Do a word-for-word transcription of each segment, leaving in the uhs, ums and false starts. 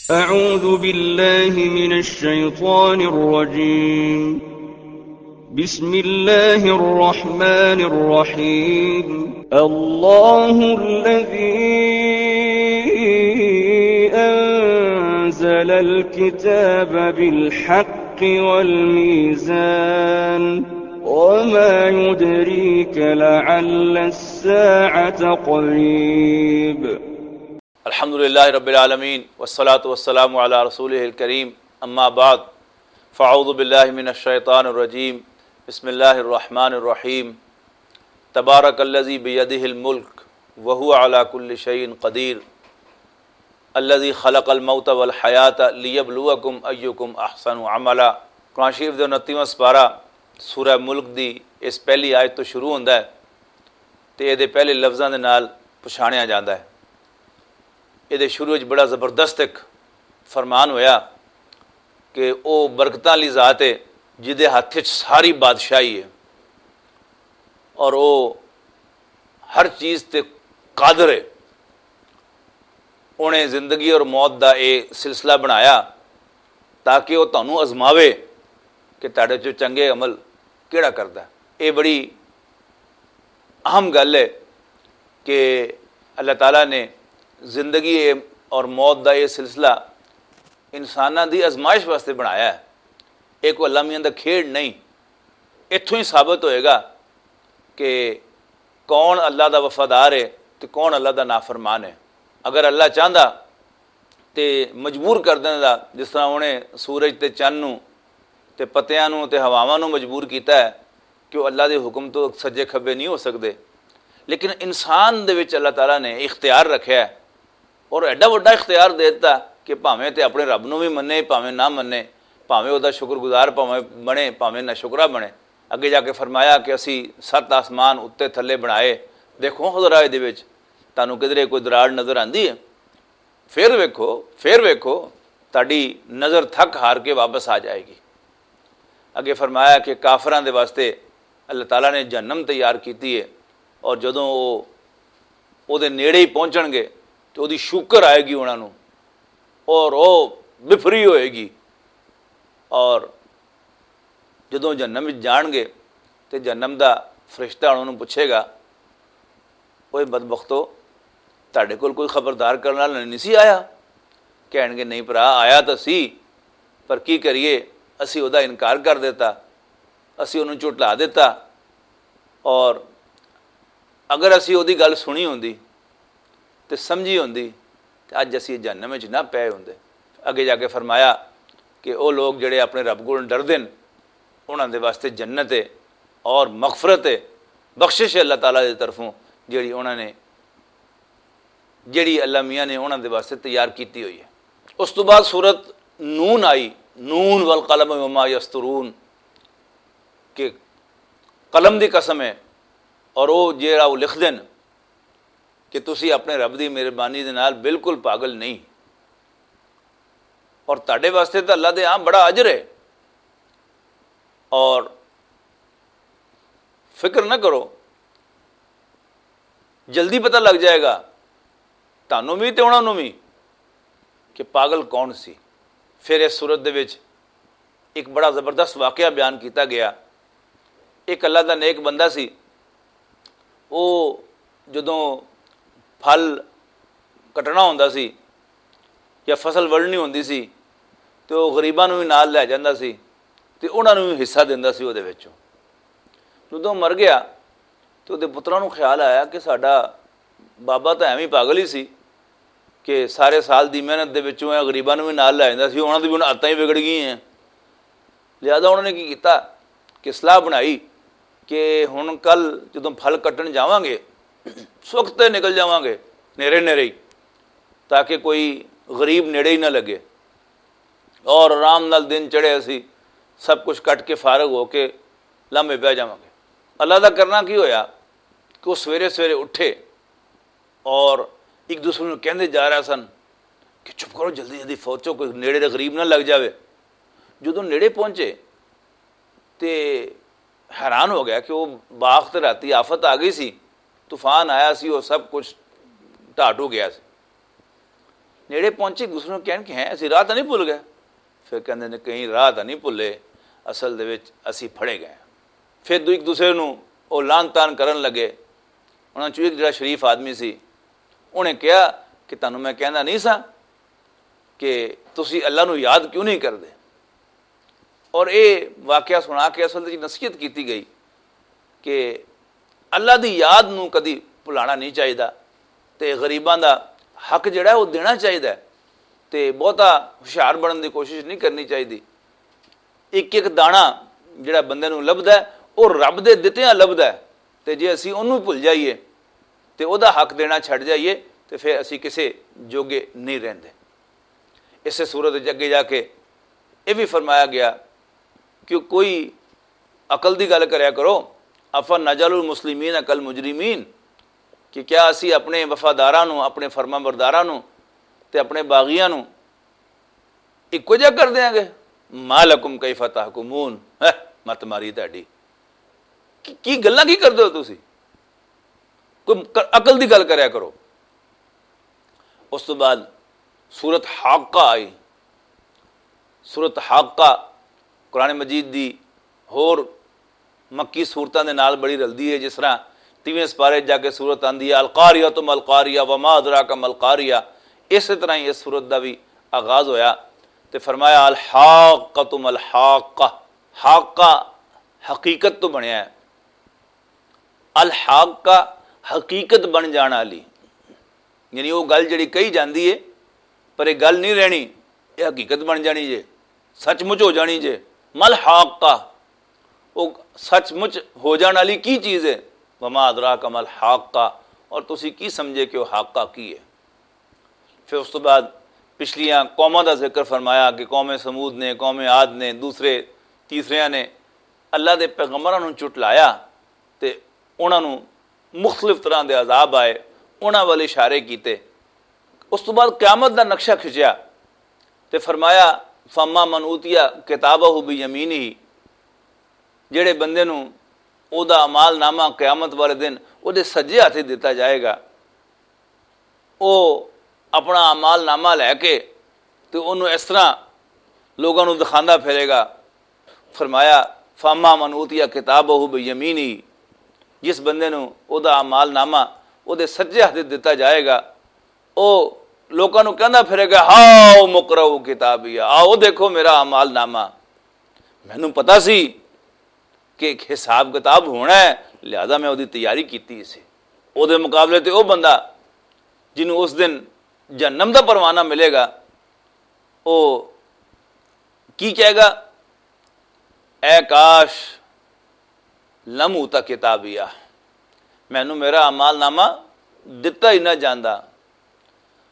أعوذ بالله من الشيطان الرجيم. بسم الله الرحمن الرحيم. الله الذي أنزل الكتاب بالحق والميزان. وما يدريك لعل الساعة قريب. الحمد لله رب العالمين، والصلاة والسلام على رسوله الكريم، أما بعد، فأعوذ بالله من الشيطان الرجيم، بسم الله الرحمن الرحيم، تبارك الذي بيده الملك وهو على كل شيء قدير، الذي خلق الموت والحياة ليبلوكم أيكم أحسن عملا۔ قرآن شریف دے انتیواں سپارہ سورہ ملک دی اس پہلی آیت تو شروع ہوندا ہے، تے اے دے پہلے لفظاں دے نال پچھانیا جاندا ہے۔ اے دے شروع وچ بڑا زبردست ایک فرمان ہویا کہ او برکتاں والی ذات ہے، جس دے ہتھ وچ ساری بادشاہی ہے، اور او ہر چیز تے قادر ہے۔ اونے زندگی اور موت دا اے سلسلہ بنایا تاکہ او تانوں آزماوے کہ تہاڈے چوں چنگے عمل کیڑا کردا ہے۔ اے بڑی اہم گل ہے کہ اللہ تعالیٰ نے زندگی اور موت دا یہ سلسلہ انساناں دی آزمائش واسطے بنایا ہے۔ یہ کوئی اللہ میاں دا کھیڈ نہیں۔ اتھوں ہی ثابت ہوئے گا کہ کون اللہ دا وفادار ہے تے کون اللہ دا نافرمان ہے۔ اگر اللہ چاہندا تے مجبور کر دیندا، جس طرح انہیں سورج تے چن نوں تے پتیاں نوں تے ہواواں نوں مجبور کیتا ہے کہ وہ اللہ دے حکم تو سجے کھبے نہیں ہو سکدے۔ لیکن انسان دے وچ اللہ تعالیٰ نے اختیار رکھیا ہے، اور ایڈا وڈا اختیار دے دتا کہ بھاویں تے اپنے رب نوں وی منے، بھاویں نہ منے، بھاویں او دا شکر گزار بھاویں بنے، بھاویں نہ شکرا بنے۔ اگے جا کے فرمایا کہ اسی ست آسمان اُتے تھلے بنائے۔ دیکھو خدا راہ دے وچ تانوں کدرے کوئی دراڑ نظر آندی ہے؟ پھر ویکھو، پھر ویکھو، تہاڈی نظر تھک ہار کے واپس آ جائے گی۔ اگے فرمایا کہ کافراں دے واسطے اللہ تعالیٰ نے جہنم تیار کیتی ہے، اور جدوں او او دے نیڑے ہی پہنچن گے تے او دی شوکر آئے گی انہاں نوں، اور او بفری ہوئے گی۔ اور جدوں جہنم وچ جان گے تے جہنم دا فرشتہ انہاں نوں پوچھے گا، اوے بدبختو، تہاڈے کول کوئی خبردار کرن والا نہیں سی آیا؟ کہن گے، نہیں بھرا، آیا تاں سی، پر کی کریے، اسی او دا انکار کر دیتا، اسی انہوں جھٹلا دیتا۔ اور اگر اسی او دی گل سنی ہوندی تے سمجھی ہوندی، تے اج اسی جہنم وچ نہ پئے ہوندے۔ اگے جا کے فرمایا کہ او لوگ جڑے اپنے رب کول ڈردے نے، انہاں دے واسطے جنت ہے اور مغفرت ہے، بخشش ہے اللہ تعالیٰ دی طرفوں، جڑی انہاں نے، جڑی اللہ میاں نے انہاں دے واسطے تیار کیتی ہوئی ہے۔ اس تو بعد سورت نون آئی، نون والقلم وما یسطرون، کہ قلم دی قسم ہے، اور او جیڑا او لکھ دین کہ تسی اپنے رب دی مہربانی دے نال بالکل پاگل نہیں، اور تہاڈے واسطے تے اللہ دے ہاں بڑا اجر ہے۔ اور فکر نہ کرو، جلدی پتہ لگ جائے گا تانوں وی تے انہاں نوں وی کہ پاگل کون سی۔ پھر اس صورت دے وچ ایک بڑا زبردست واقعہ بیان کیتا گیا۔ ایک اللہ دا نیک بندہ سی، او جدوں پھل کٹنا ہوندا سی یا فصل وڑنی ہوندی سی، تے او غریباں نوں وی نال لے جاندا سی تے انہاں نوں وی حصہ دیندا سی او دے وچوں۔ جدوں مر گیا تے او دے پتراں نوں خیال آیا کہ ساڈا بابا تاں ایویں پاگل ہی سی کہ سارے سال دی محنت دے وچوں اے غریباں نوں وی نال لے جاندا سی، انہاں دی وی ہن عادتاں ہی وگڑ گئی ہیں۔ لہذا انہوں نے کی کیتا کہ صلاح بنائی کہ ہن کل جدوں پھل کٹن جاواں گے، سوکھتے نکل جاواں گے، نیرے نیرے ہی، تاکہ کوئی غریب نیڑے ہی نہ لگے۔ اور آرام نال دن چڑھے، اسی سب کچھ کٹ کے فارغ ہو کے لمبے پہ جاواں گے۔ اللہ دا کرنا کی ہویا کہ وہ سویرے سویرے اٹھے اور ایک دوسرے نوں کہندے جا رہا سن کہ چپ کرو، جلدی جلدی پہنچو، کوئی نیڑے دے غریب نہ لگ جاوے۔ جدوں نیڑے پہنچے تے حیران ہو گیا کہ وہ باغ تے راتی آفت آ گئی سی، طوفان آیا سی اور سب کچھ ڈھا ڈو گیا سی۔ نیڑے پہنچے، ایک دوسرے نوں کہن کہ ہیں، اسی راہ تاں نہیں بھول گئے؟ پھر کہندے نے، کہیں راہ تاں نہیں بھولے، اصل دے وچ اسی پھڑے گئے ہاں۔ پھر دو ایک دوسرے نوں او لان تان کرن لگے۔ انہاں چوں ایک جڑا شریف آدمی سی، انہیں کہا کہ تانوں میں کہندا نہیں سا کہ تسی اللہ نوں یاد کیوں نہیں کردے؟ اور اے واقعہ سنا کے اصل وچ نصیحت کیتی گئی کہ اللہ دی یاد نوں کدی بھلانا نہیں چاہیدا، تے غریباں دا حق جڑا ہے، وہ دینا چاہیدا ہے، تے بہتا ہوشیار بنن دی کوشش نہیں کرنی چاہیدی۔ ایک ایک دانا جڑا بندے نوں لبھدا ہے، وہ رب دے دتیاں لبھدا ہے، تے جے اسی اونوں بھل جائیے، تے او دا حق دینا چھڈ جائیے، تے پھر اسی کسے جوگے نہیں رہندے۔ اسے صورت وچ اگے جا کے یہ بھی فرمایا گیا کہ کوئی عقل دی گل کریا کرو، افا نجعل المسلمین کالمجرمین، کہ کیا اسی اپنے وفاداراں نوں، اپنے فرما برداراں نوں تے اپنے باغیاں نوں اکو جا کر دیاں گے؟ ما لکم کیف تحکمون، ہے، مت ماری تہاڈی۔ کی، کی گلاں کی کردے ہو تسی؟ کوئی ک-، عقل دی گل کریا کرو۔ اس تو بعد سورت حاقہ آئی۔ سورت حاقہ قرآن مجید دی ہور مکی سورتاں دے نال بڑی رلدی ہے، جس طرح تیویں سپارے جا کے سورت آندی ہے، القاریہ تم القاریہ وما ادراک ما القاریہ، اسی طرح ہی اس سورت دا بھی آغاز ہویا۔ تے فرمایا، الحاقہ تم الحاقہ۔ حاقہ حقیقت تو بنیا ہے، الحاقہ حقیقت بن جان والی، یعنی وہ گل جڑی کہی جاندی ہے، پر یہ گل نہیں رہنی، یہ حقیقت بن جانی جے، سچ مچ ہو جانی جے۔ مل حاقہ، وہ سچ مچ ہو جان والی کی چیز ہے؟ وما ادراک مل حاقہ، اور تسی کی سمجھے کہ وہ حاقہ کی ہے؟ پھر اس تو بعد پچھلیاں قوماں دا ذکر فرمایا کہ قوم سمود نے، قوم عاد نے، دوسرے تیسریاں نے اللہ دے پیغمبراں نوں چٹلایا تے انہاں نوں مختلف طرح دے عذاب آئے، انہاں والے اشارے کیتے۔ اس تو بعد قیامت دا نقشہ کھچیا تے فرمایا، فاما من اوتیا کتابہ بیمینہ، جڑے بندے نوں او دا اعمال نامہ قیامت والے دن او دے سجے ہاتھ دتا جائے گا، او اپنا اعمال نامہ لے کے تے اونوں اس طرح لوگاں نوں دکھاندا پھرے گا۔ فرمایا، فاما من اوتیا کتابہ بیمینہ، جس بندے نوں او دا اعمال نامہ او دے سجے ہاتھ دتا جائے گا، او لوکاں نوں کہندا پھرے گا، ہاؤ مقرؤ کتابیا، آؤ دیکھو میرا اعمال نامہ۔ مینوں پتہ سی کہ ایک حساب کتاب ہونا ہے، لہذا میں اودی تیاری کیتی سی۔ اودے مقابلے تے او بندہ جنوں اس دن جہنم دا پروانہ ملے گا، او کی کہے گا؟ اے کاش، لم اوتا کتابیا، مینوں میرا اعمال نامہ دتا ہی نہ جاندا،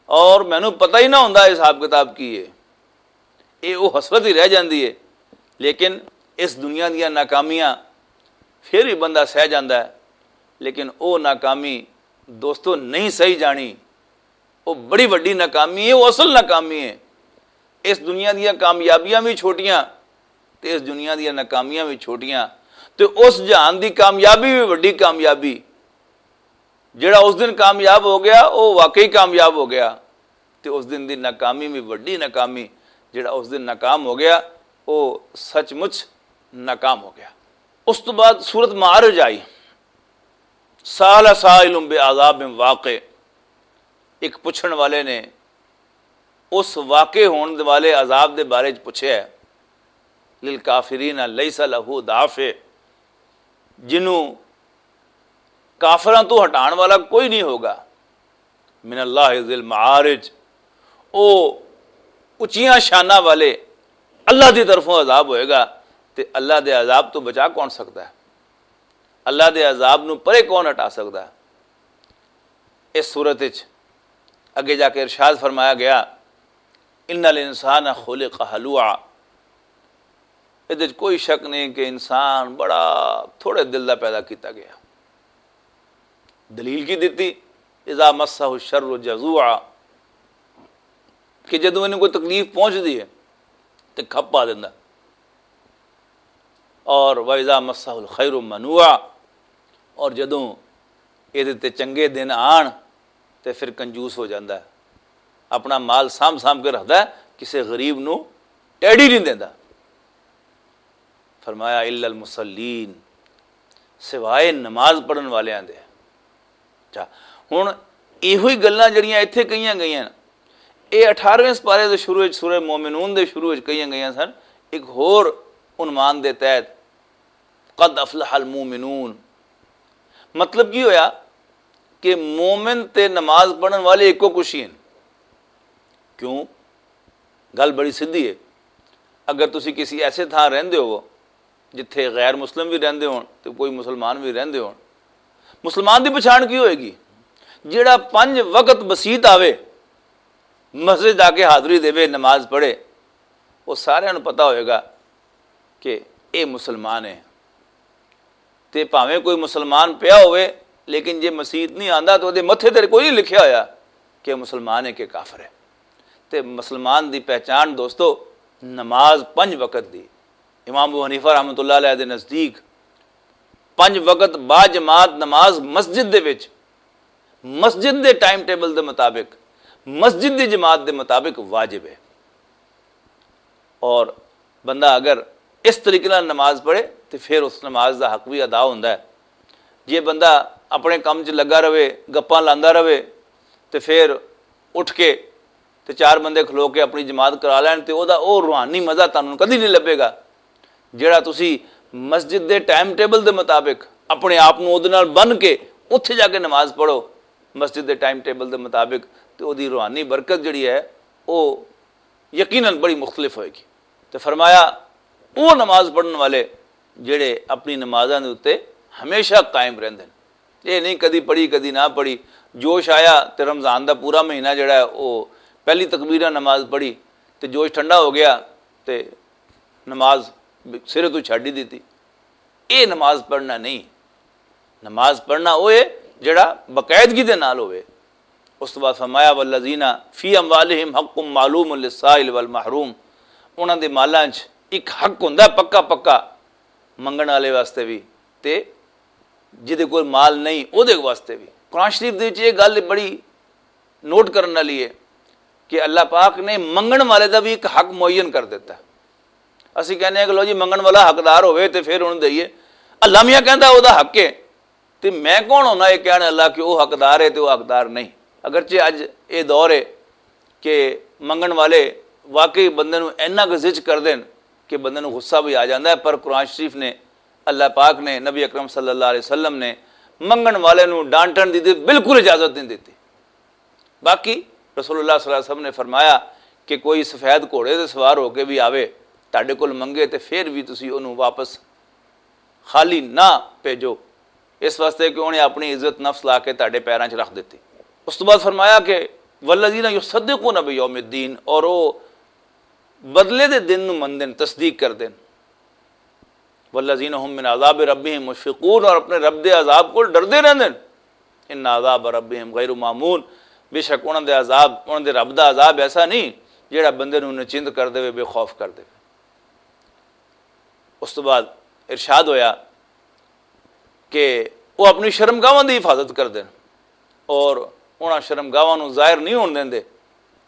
اور مینوں پتہ ہی نہ ہوندا حساب کتاب کی ہے۔ اے او حسرت ہی رہ جاندی ہے۔ لیکن اس دنیا دیاں ناکامیاں پھر بھی بندہ سہ جاندا ہے، لیکن او ناکامی، دوستو، نہیں سہی جانی۔ وہ بڑی وڈی ناکامی ہے، وہ اصل ناکامی ہے۔ اس دنیا دیاں کامیابیاں بھی چھوٹیاں تے اس دنیا دیاں ناکامیاں بھی چھوٹیاں، تے اس جہان دی کامیابی بھی وڈی کامیابی۔ جڑا اس دن کامیاب ہو گیا، وہ واقعی کامیاب ہو گیا، تے اس دن دی ناکامی بھی وڈی ناکامی۔ جڑا اس دن ناکام ہو گیا، وہ سچ مچ ناکام ہو گیا۔ اس تو بعد سورت معارج آئی، سال سائل بعذاب واقع۔ ایک پوچھن والے نے اس واقع ہون والے عذاب دے بارے چ پوچھیا ہے، للکافرین لیس لہ دافع، جنوں کافراں تو ہٹان والا کوئی نہیں ہوگا۔ من اللہ ذی المعارج، او اچیاں شاناں والے اللہ دی طرفوں عذاب ہوئے گا، تے اللہ دے عذاب تو بچا کون سکتا ہے؟ اللہ دے عذاب نو پرے کون ہٹا سکتا ہے؟ اس صورت وچ اگے جا کے ارشاد فرمایا گیا، ان الانسان خلق ہلوعا، ادھر کوئی شک نہیں کہ انسان بڑا تھوڑے دل دا پیدا کیتا گیا۔ دلیل کی دیتی؟ اذا مسہ الشر جزوعا، کہ جدوں انہوں کوئی تکلیف پہنچ دی ہے تے کھپ پا دیندا۔ اور واذا مسہ الخیر منوعا، اور جدوں یہ تے چنگے دن آن تے پھر کنجوس ہو جاندا ہے۔ اپنا مال سانبھ سانبھ کے رکھدا ہے، کسے غریب نوں ٹیڈی نہیں دیندا۔ فرمایا الا المصلین، سوائے نماز پڑھن والیاں دے۔ اچھا، ہن ایہو ہی گلاں جڑیاں ایتھے کہیاں گئیاں، اے اٹھارہویں سپارے دے شروع وچ، سورہ مومنون دے شروع وچ کہیاں گئیاں سن، ایک ہور عنوان دے تحت، قد افلح المومنون۔ مطلب کی ہویا کہ مومن تے نماز پڑھن والے ایکو کچھ ہی ہیں۔ کیوں؟ گل بڑی سدھی ہے۔ اگر تسی کسی ایسے تھاں رہندے ہو جتھے غیر مسلم بھی رہندے ہون تے کوئی مسلمان بھی رہندے ہون، مسلمان دی پچھان کی ہوئے گی؟ جیڑا پنج وقت مسیت آوے، مسجد آ کے حاضری دے، نماز پڑھے، وہ سارے نوں پتا ہوئے گا کہ اے مسلمان ہے۔ تے بھاویں کوئی مسلمان پیا ہوئے، لیکن جے مسیت نہیں آندا تو دے متھے تے کوئی نہیں لکھیا ہویا کہ مسلمان ہے کہ کافر ہے۔ تے مسلمان دی پہچان دوستو، نماز پنج وقت دی۔ امام ابو حنیفہ رحمۃ اللہ علیہ دے نزدیک پنج وقت با جماعت نماز مسجد دے وچ، مسجد دے ٹائم ٹیبل دے مطابق، مسجد دی جماعت دے مطابق واجب ہے۔ اور بندہ اگر اس طریقے نال نماز پڑھے تو پھر اس نماز دا حق بھی ادا ہوندا ہے۔ جے بندہ اپنے کم چ لگا رہے، گپاں لاندا رہے، تو پھر اٹھ کے تے چار بندے کھلو کے اپنی جماعت کرا لین تے او دا او روحانی مزہ تانوں کدی نہیں لبھے گا، جڑا تسی مسجد دے ٹائم ٹیبل دے مطابق اپنے آپ نوں اودے نال بن کے اتھے جا کے نماز پڑھو مسجد دے ٹائم ٹیبل دے مطابق، تے او دی روحانی برکت جڑی ہے، او یقیناً بڑی مختلف ہوئے گی۔ تے فرمایا، او نماز پڑھن والے جڑے اپنی نمازاں دے اُتے ہمیشہ قائم رہندے نے، یہ نہیں کدی پڑھی کدی نہ پڑھی۔ جوش آیا تے رمضان دا پورا مہینہ جڑا ہے وہ پہلی تکبیر نال نماز پڑھی، تے جوش ٹھنڈا ہو گیا تے نماز سرے تو چھڈ ہی دتی۔ یہ نماز پڑھنا نہیں۔ نماز پڑھنا وہ ہے جڑا باقاعدگی دے نال ہوئے۔ اس تو بعد فرمایا، والذین فی اموالہم حق معلوم للسائل والمحروم، انہاں دے مالاں 'چ ایک حق ہوندا ہے پکا پکا، منگن والے واسطے بھی تے جدے کول مال نہیں، او دے واسطے بھی۔ قرآن شریف دے وچ یہ گل بڑی نوٹ کرن والی ہے کہ اللہ پاک نے منگن والے دا بھی ایک حق معین کر دیتا ہے۔ اسی کہنے ہیں کہ لو جی، منگن والا حقدار ہوئے تے پھر انہوں دئیے۔ اللہ میاں کہندا او دا حق ہے، تے میں کون ہونا یہ کہنے اللہ کہ وہ حقدار ہے تے وہ حقدار نہیں؟ اگرچہ اج یہ دور ہے کہ منگن والے واقعی بندے نوں اینا کزج کر دین کہ بندے نوں غصہ بھی آ جاندا ہے، پر قرآن شریف نے، اللہ پاک نے، نبی اکرم صلی اللہ علیہ وسلم نے منگن والے نوں ڈانٹن دی تے بالکل اجازت نہیں دیتی۔ باقی رسول اللہ صلی اللہ علیہ وسلم نے فرمایا کہ کوئی سفید گھوڑے تے سوار ہو کے بھی آوے تہاڈے کول منگے، تے پھر بھی تسی انہوں واپس خالی نہ بھیجو، اس واسطے کہ انہیں اپنی عزت نفس لا کے تہاڈے پیراں 'چ رکھ دتی۔ اس تو بعد فرمایا کہ والذین یصدقون بیوم الدین، اور وہ بدلے دے دن نوں مندن، تصدیق کر دین۔ والذین هم من عذاب ربهم مشفقون، اور اپنے رب دے عذاب کو ڈردے رہندے نے۔ ان عذاب ربهم غیر مامون، بے شک انہاں دے عذاب، انہاں دے رب دا عذاب ایسا نہیں جڑا بندے نوں نچند کر دے، بے خوف کر دے۔ اس تو بعد ارشاد ہویا کہ وہ اپنی شرمگاہاں دی حفاظت کر دین اور انہاں شرمگاہاں نوں ظاہر نہیں ہون دیندے،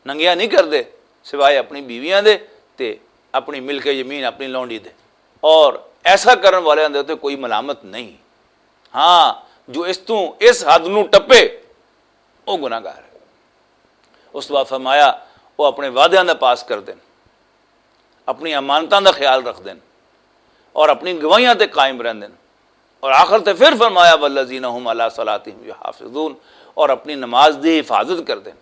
ننگیاں نہیں کردے، سوائے اپنی بیویاں دے تے اپنی ملک یمین، اپنی لونڈی دے۔ اور ایسا کرن والیاں دے تے کوئی ملامت نہیں۔ ہاں، جو اس تو اس حد نوں ٹپے، وہ گناہگار ہے۔ اس تو بعد فرمایا، وہ اپنے وعدیاں دا پاس کر دین، اپنی امانتاں دا خیال رکھ دین اور اپنی گواہیاں تے قائم رہندے نے۔ اور آخر تے پھر فرمایا، والذین هم علی صلاتهم یحافظون، اور اپنی نماز دی حفاظت کردے نے۔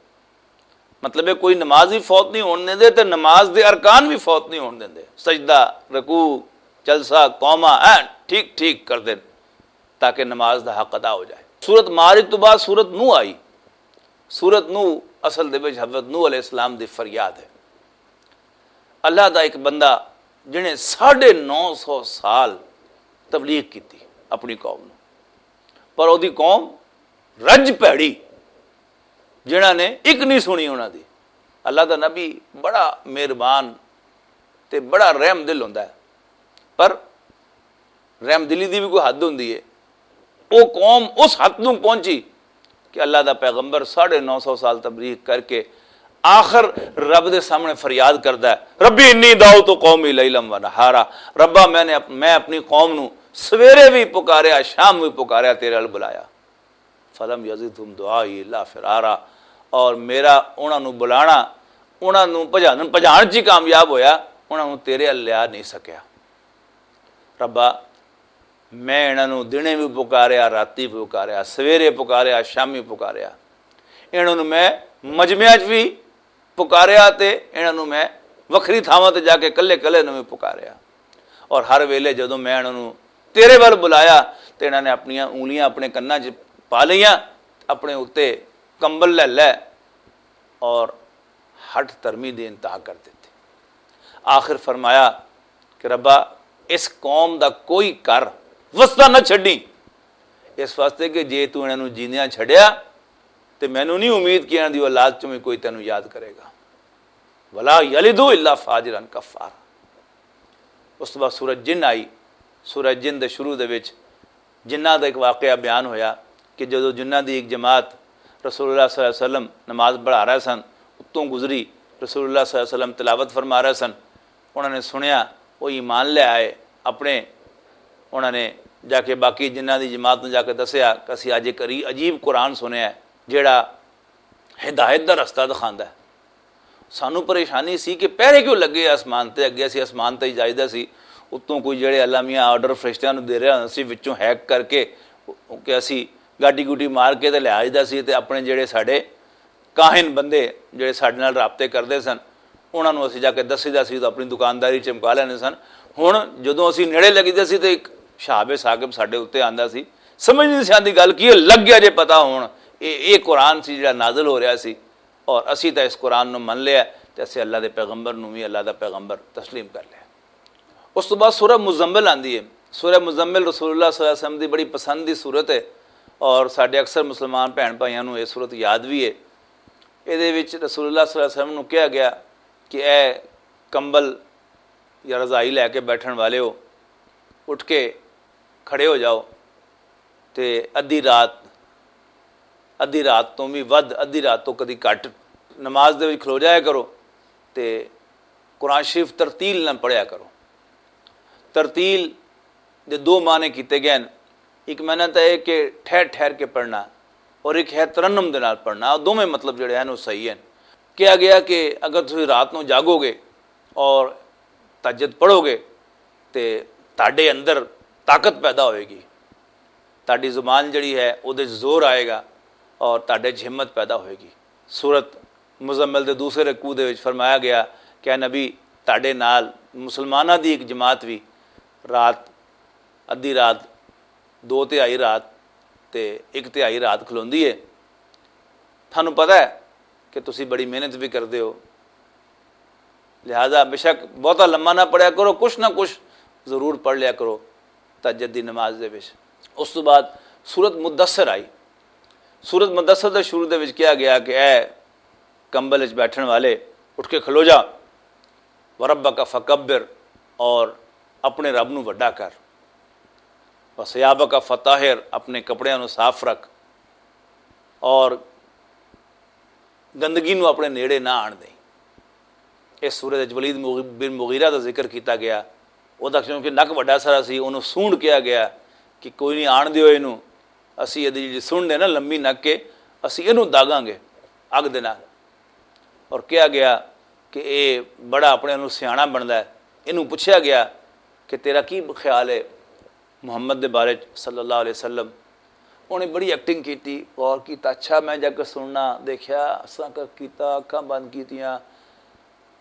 مطلب ہے، کوئی نماز بھی فوت نہیں ہون دیندے تے نماز دے ارکان بھی فوت نہیں ہون دیندے۔ سجدہ، رکوع، جلسہ، قومہ، این ٹھیک ٹھیک کردے نے تاکہ نماز دا حق ادا ہو جائے۔ سورت معارج تو بعد سورت نوح آئی۔ سورت نوح اصل دے وچ حضرت نوح علیہ السلام دی فریاد ہے۔ اللہ دا ایک بندہ جنہیں ساڑھے نو سو سال تبلیغ کیتی اپنی قوم نوں، پر اوہدی قوم رج پیڑی، جنہاں نے ایک نہیں سنی انہاں دی۔ اللہ دا نبی بڑا مہربان تے بڑا رحم دل ہوندا ہے، پر رحم دلی دی بھی کوئی حد ہوندی ہے۔ وہ قوم اس حد نوں پہنچی کہ اللہ دا پیغمبر ساڑھے نو سو سال تبلیغ کر کے آخر رب دے سامنے فریاد کردا ہے، "ربی انی دعوت قومی لیلا و نہارا۔" ربا، میں نے اپ-، میں اپنی قوم نو سویرے بھی پکاریا، شام بھی پکاریا، تیرے ال بلایا۔ "فلم یزدہم دعائی الا فرارا۔" اور میرا انہاں نو بلانا، انہاں نو بھجان، بھجان چ ہی کامیاب ہویا، انہاں نو تیرے ال لیا نہیں سکیا۔ ربا، میں انہاں نوں دنے وی پکاریا، راتی وی پکاریا، سویرے پکاریا، شامی پکاریا۔ انہاں نوں میں مجمعاں چ وی پکاریا تے انہاں نوں میں وکھری تھاواں تے جا کے کلے کلے نوں وی پکاریا۔ اور ہر ویلے جدوں میں انہاں نوں تیرے ول بلایا تے انہاں نے اپنیاں انگلیاں اپنے کناں چ پا لئیاں، اپنے اُتے کمبل لے لے اور ہٹ ترمی دی انتہا کر دتی۔ آخر فرمایا کہ ربا، اس قوم دا کوئی کر وسدا نہ چھڈی، اس واسطے کہ جے تو انہاں نوں جیندیاں چھڈیا تے مینوں نہیں امید کہ انہاں دی اولاد چوں وی کوئی تینوں یاد کرے گا۔ ولا یلدو الا فاجرا کفار۔ اس تو بعد سورہ جن آئی۔ سورہ جن دے شروع دے وچ جنہ دا ایک واقعہ بیان ہویا کہ جدوں جنہ دی ایک جماعت رسول اللہ صلی اللہ علیہ وسلم نماز پڑھا رہے سن، اتوں گزری، رسول اللہ صلی اللہ علیہ وسلم تلاوت فرما رہے سن، انہاں نے سنیا، وہ ایمان لے آئے اپنے۔ انہاں نے جا کے باقی جنہ دی جماعت نوں جا کے دسیا کہ اسی اج ایک عری-، عجیب قرآن سنیا ہے، جیڑا ہدایت دا رستہ دکھاندا ہے۔ سانوں پریشانی سی کہ پہرے کیوں لگے آسمان تے؟ اگے اسی آسمان تے ہی جائیدا سی، اتوں کوئی جڑے الامیہ آرڈر فرشتیاں نوں دے رہا سی، وچوں ہیک کر کے کہ اسی گاٹی گوٹی مار کے تے لے آئیدا سی تے اپنے جڑے ساڈے کاہن بندے جڑے ساڈے نال رابطے کردے سن، انہاں نوں اسی جا کے دسیدا سی تے اپنی دکانداری چمکا لیندے سن۔ ہن جدوں اسی نیڑے لگیدے سی تے ایک شہاب ثاقب ساڈے اُتے آندا سی، سمجھ نہیں سی آندی گل کی ہے، لگ گیا جے پتہ ہن اے، اے قرآن سی جڑا نازل ہو رہا سی۔ اور اسی تاں اس قرآن نوں من لیا تے اسی اللہ دے پیغمبر نوں وی اللہ دا پیغمبر تسلیم کر لیا۔ اس تو بعد سورہ مزمل آندی ہے۔ سورہ مزمل رسول اللہ صلی اللہ علیہ وسلم دی بڑی پسند دی صورت ہے اور ساڈے اکثر مسلمان بھن بھائیاں نوں یہ صورت یاد بھی ہے۔ اے دے وچ رسول اللہ صلی اللہ علیہ وسلم نوں کہا گیا کہ اے کمبل یا رضائی لے کے بیٹھن والے ہو، اٹھ کے کھڑے ہو جاؤ تے ادھی رات، ادھی رات تو بھی ودھ، ادھی رات تو کدی گھٹ نماز دے وچ کھلو جایا کرو تے قرآن شریف ترتیل نہ پڑھیا کرو۔ ترتیل دے دو معنی کیتے گئے ہیں۔ ایک معنی تو ہے کہ ٹھہر ٹھہر کے پڑھنا اور ایک ہے ترنم دے نال پڑھنا، دوویں مطلب جڑے ہیں وہ صحیح ہیں۔ کہا گیا کہ اگر تسی رات نو جاگو گے اور تہجد پڑھو گے تے تہاڈے اندر طاقت پیدا ہوئے گی، تہاڈی زبان جڑی ہے، اودے چ زور آئے گا اور تہاڈے چ ہمت پیدا ہوئے گی۔ سورت مزمل دے دوسرے رکوع دے وچ فرمایا گیا کہ اے نبی، تہاڈے نال مسلماناں دی ایک جماعت بھی رات، ادھی رات، دو تہائی رات تے ایک تہائی رات کھلوندی ہے۔ تھانوں پتہ ہے کہ تسی بڑی محنت بھی کردے ہو، لہذا بے شک بہتا لمبا نہ پڑھیا کرو، کچھ نہ کچھ ضرور پڑھ لیا کرو تہجد دی نماز دے وچ۔ اس تو بعد سورت مدثر آئی۔ سورت مدثر دے شروع دے وچ کہا گیا کہ اے کمبل وچ بیٹھن والے، اٹھ کے کھلو جا، وربک فکبر، اور اپنے رب نو وڈا کر، وثیابک فطہر، اپنے کپڑیاں نو صاف رکھ، اور گندگی نو اپنے نیڑے نہ آن دیں۔ اس سورہ وچ ولید مغ-، بن مغیرہ دا ذکر کیتا گیا۔ او دا کیونکہ نک وڈا سارا سی، اونوں سونڈ کہا گیا کہ کوئی نہیں، آن دیو اینوں، اسی ادی جڑی سونڈ ہے نا لمبی نک کے، اسی اینوں داگاں گے اگ دے نال۔ اور کہا گیا کہ اے بڑا اپنے نوں سیاݨا بندا ہے۔ اینوں پچھیا گیا کہ تیرا کی خیال ہے محمد دے بارے چ صلی اللہ علیہ وسلم؟ انہیں بڑی ایکٹنگ کیتی، غور کیتا، اچھا میں جا کے سننا، دیکھیا، اساں کا کیتا، اکھاں بند کیتیاں،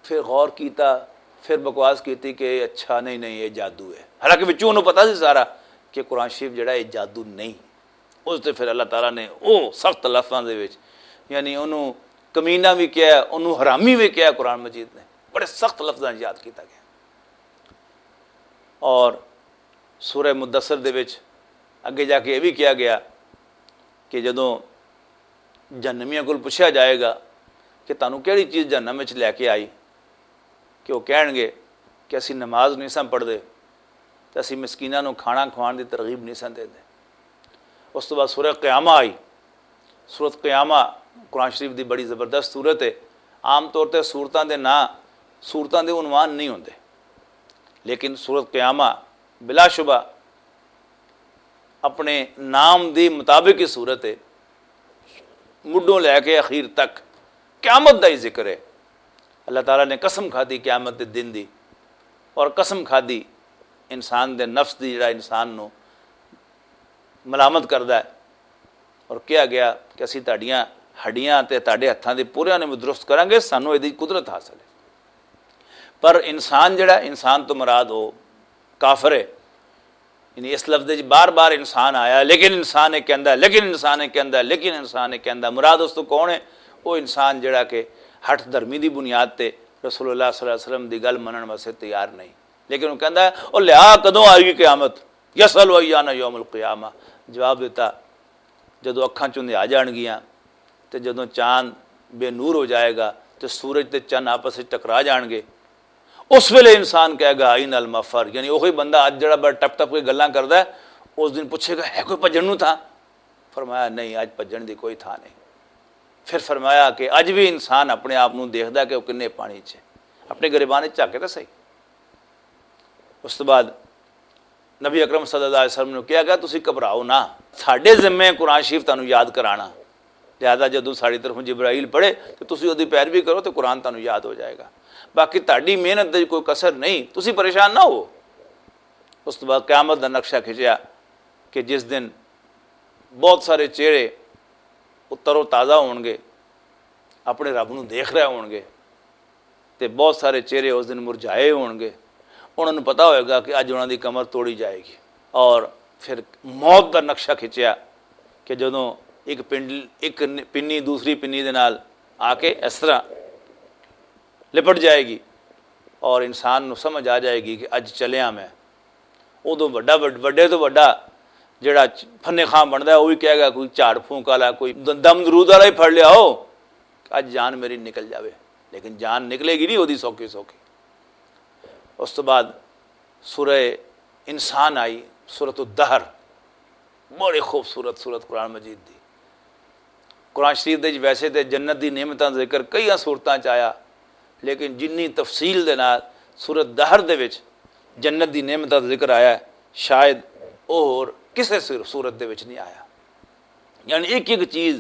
پھر غور کیتا، پھر بکواس کیتی کہ اچھا نہیں، نہیں، یہ جادو ہے۔ حالانکہ وچوں انہوں پتا سی سارا کہ قرآن شریف جڑا ہے جادو نہیں۔ اس تے پھر اللہ تعالیٰ نے او سخت لفظاں دے وچ، یعنی انہوں کمینہ بھی کہا، انہوں حرامی بھی کہا قرآن مجید نے، بڑے سخت لفظاں یاد کیتا گیا۔ اور سورہ مدثر دے وچ اگے جا کے یہ بھی کہا گیا کہ جدوں جہنمیاں کول پوچھا جائے گا کہ تانوں کیڑی چیز جہنم وچ لے کے آئی، کہ وہ کہن گے کہ اسی نماز نہیں ساں پڑھدے تے اسی مسکیناں نوں کھانا کھوان دی ترغیب نہیں ساں دیندے۔ اس تو بعد سورہ قیامہ آئی۔ سورت قیامہ قرآن شریف دی بڑی زبردست سورت ہے۔ عام طور تے صورتاں دے ناں صورتاں دے عنوان نہیں ہوندے، لیکن صورت قیامہ بلا شبہ اپنے نام دی مطابق ہی صورت ہے۔ مڈوں لے کے اخیر تک قیامت دا ہی ذکر ہے۔ اللہ تعالیٰ نے قسم کھادی قیامت دے دن دی، اور قسم کھادی انسان دے نفس دی، جڑا انسان نو ملامت کردا ہے۔ اور کہا گیا کہ اسی تہاڈیاں ہڈیاں تے تہاڈے ہتھاں دے پوریاں نوں درست کراں گے، سانوں ایہدی قدرت حاصل ہے۔ پر انسان جڑا، انسان تو مراد وہ کافر ہے۔ یعنی اس لفظ وچ بار بار انسان آیا، لیکن انسان یہ کہندا ہے، لیکن انسان یہ کہندا ہے، لیکن انسان یہ کہندا ہے۔ مراد اس تو کون ہے؟ وہ انسان جڑا کہ ہٹ دھرمی دی بنیاد تے رسول اللہ صلی اللہ علیہ وسلم دی گل منن واسطے تیار نہیں، لیکن وہ کہندا ہے، "او لیا، کدوں آئے گی قیامت؟" یسأل ایان یوم القیامہ۔ جواب دیتا، جدوں اکھاں چوں اندھیرا جان گیاں تے جدوں چاند بے نور ہو جائے گا تے سورج تے چند آپس وچ ٹکرا جان گے، اس ویلے انسان کہے گا، "این المفر"، یعنی وہی بندہ اج جڑا بڑا ٹپ ٹپ کے گلاں کردا ہے، اس دن پوچھے گا، "ہے کوئی بھجن نوں تھاں؟" فرمایا، "نہیں، اج بھجن دی کوئی تھاں نہیں۔" پھر فرمایا کہ اج بھی انسان اپنے آپ نوں دیکھدا ہے کہ وہ کنے پانی چ ہے۔ اپنے گریبان وچ جھاکے تاں صحیح۔ اس تو بعد نبی اکرم صلی اللہ علیہ وسلم نے کہا کہ تسی گھبراؤ نہ، ساڈے ذمے قرآن شریف تانوں یاد کرانا۔ لہذا جدوں ساڈی طرفوں جبرائیل پڑھے تے تسی اودی پیروی کرو تے قرآن تانوں یاد ہو جائے گا۔ باقی تہاڈی محنت دی کوئی کسر نہیں، تسی پریشان نہ ہو۔ اس تو بعد قیامت دا نقشہ کھچیا کہ جس دن بہت سارے چہرے وہ تر و تازہ ہون گے، اپنے رب نوں دیکھ رہے ہون گے، تے بہت سارے چہرے اس دن مرجھائے ہون گے۔ انہاں نوں پتہ ہوئے گا کہ اج انہاں دی کمر توڑی جائے گی۔ اور پھر موت دا نقشہ کھچیا کہ جدوں ایک پنڈ-، ایک ن-، پنی دوسری پنی دے نال آ کے اس طرح لپٹ جائے گی اور انسان نوں سمجھ آ جائے گی کہ اج چلیا میں۔ ادوں وڈا، وڈ-، وڈے تو وڈا جڑا چ-، فن خان بندا ہے، وہ بھی کہے گا، کوئی جھاڑ پھونک والا، کوئی د-، دم درود والا ہی پھڑ لیا ہو، اج جان میری نکل جاوے۔ لیکن جان نکلے گی نہیں، وہ دی سوکھی سوکھی۔ اس تو بعد سورہ انسان آئی، سورۃ الدہر، بڑی خوبصورت سورت قرآن مجید دی۔ قرآن شریف دے وچ ویسے تے جنت دی نعمتاں دا ذکر کئی صورتاں چ آیا، لیکن جنی تفصیل دے نال سورت دہر دے وچ جنت دی نعمتاں دا ذکر آیا ہے، شاید او ہور کسے سور-، سورت دے وچ نہیں آیا۔ یعنی ایک ایک چیز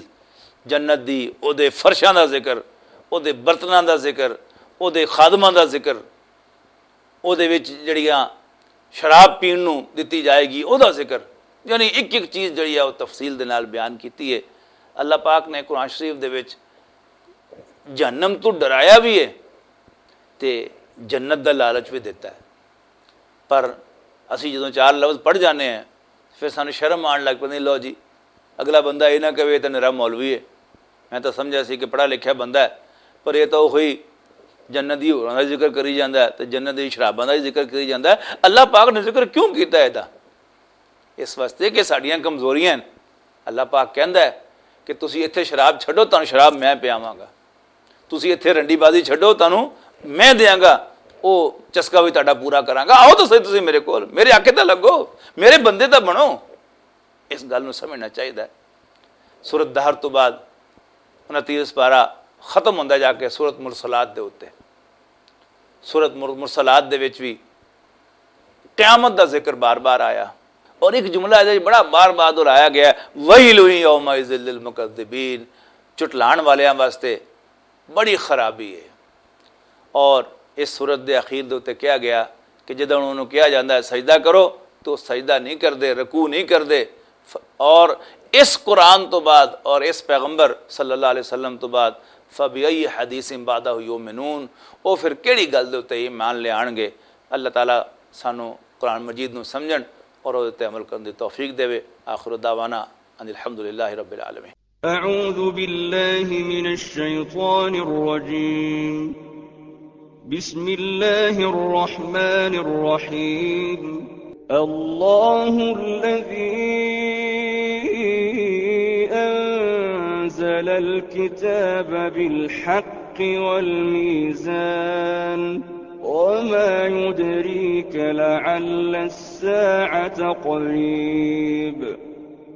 جنت دی، او دے فرشاں دا ذکر، او دے برتناں دا ذکر، او دے خادماں دا ذکر، او دے وچ جڑیاں شراب پین نوں دتی جائے گی، او دا ذکر، یعنی ایک ایک چیز جڑی ہے، او تفصیل دے نال بیان کیتی ہے۔ اللہ پاک نے قرآن شریف دے وچ جہنم تو ڈرایا بھی ہے تے جنت دا لالچ بھی دیتا ہے۔ پر اسی جدوں چار لفظ پڑھ جانے ہیں، پھر سانوں شرم آن لگ پیندی، "لو جی، اگلا بندہ یہ نہ کہے، یہ تو نرا مولوی ہے۔" میں تو سمجھا سی کہ پڑھا لکھیا بندہ ہے، پر یہ تو وہی جنت دی ہوراں دا ذکر کری جاندا ہے تے جنت دی شراباں دا ذکر کری جاندا ہے۔ اللہ پاک نے ذکر کیوں کیتا ہے دا؟ اس واسطے کہ ساڈیاں کمزوریاں ہیں۔ اللہ پاک کہندا ہے کہ تسی ایتھے شراب چھڈو، تانوں شراب میں پیاواں گا۔ تسی ایتھے رنڈی بازی چھڈو، تانوں میں دیاں گا، او چسکا بھی تہاڈا پورا کراں گا۔ آؤ تو صحیح تسی میرے کول، میرے آکھے تے لگو، میرے بندے تے بنو۔ اس گل نوں سمجھنا چاہیدا ہے۔ سورت دہر تو بعد انہاں تیس پارا ختم ہوندا جا کے سورت مرسلات دے اُتے۔ سورت مر-، مرسلات دے وچ بھی قیامت دا ذکر بار بار آیا، اور ایک جملہ ہے جو بڑا بار بار دہرایا گیا ہے، "ویل یومئذ للمکذبین"، چٹلان والیاں واسطے بڑی خرابی ہے۔ اور اس سورت دے اخیر دے اُتے کہا گیا کہ جدوں انہوں نوں کہا جاندا ہے سجدہ کرو، تو سجدہ نہیں کردے، رکوع نہیں کردے۔ ف-، اور اس قرآن تو بعد اور اس پیغمبر صلی اللہ علیہ وسلم تو بعد، "فبأی حدیث بعدہ یؤمنون"، وہ پھر کیڑی گل دے اُتے ایمان لے آنگے؟ اللہ تعالیٰ سانو قرآن مجید نو سمجھن اور اُس تے عمل کرن دی توفیق دے۔ آخر دعوانا ان الحمدللہ رب العالمین۔ أعوذ بالله من الشيطان الرجيم. بسم الله الرحمن الرحيم. الله الذي أنزل الكتاب بالحق والميزان. وما يدريك لعل الساعة قريب.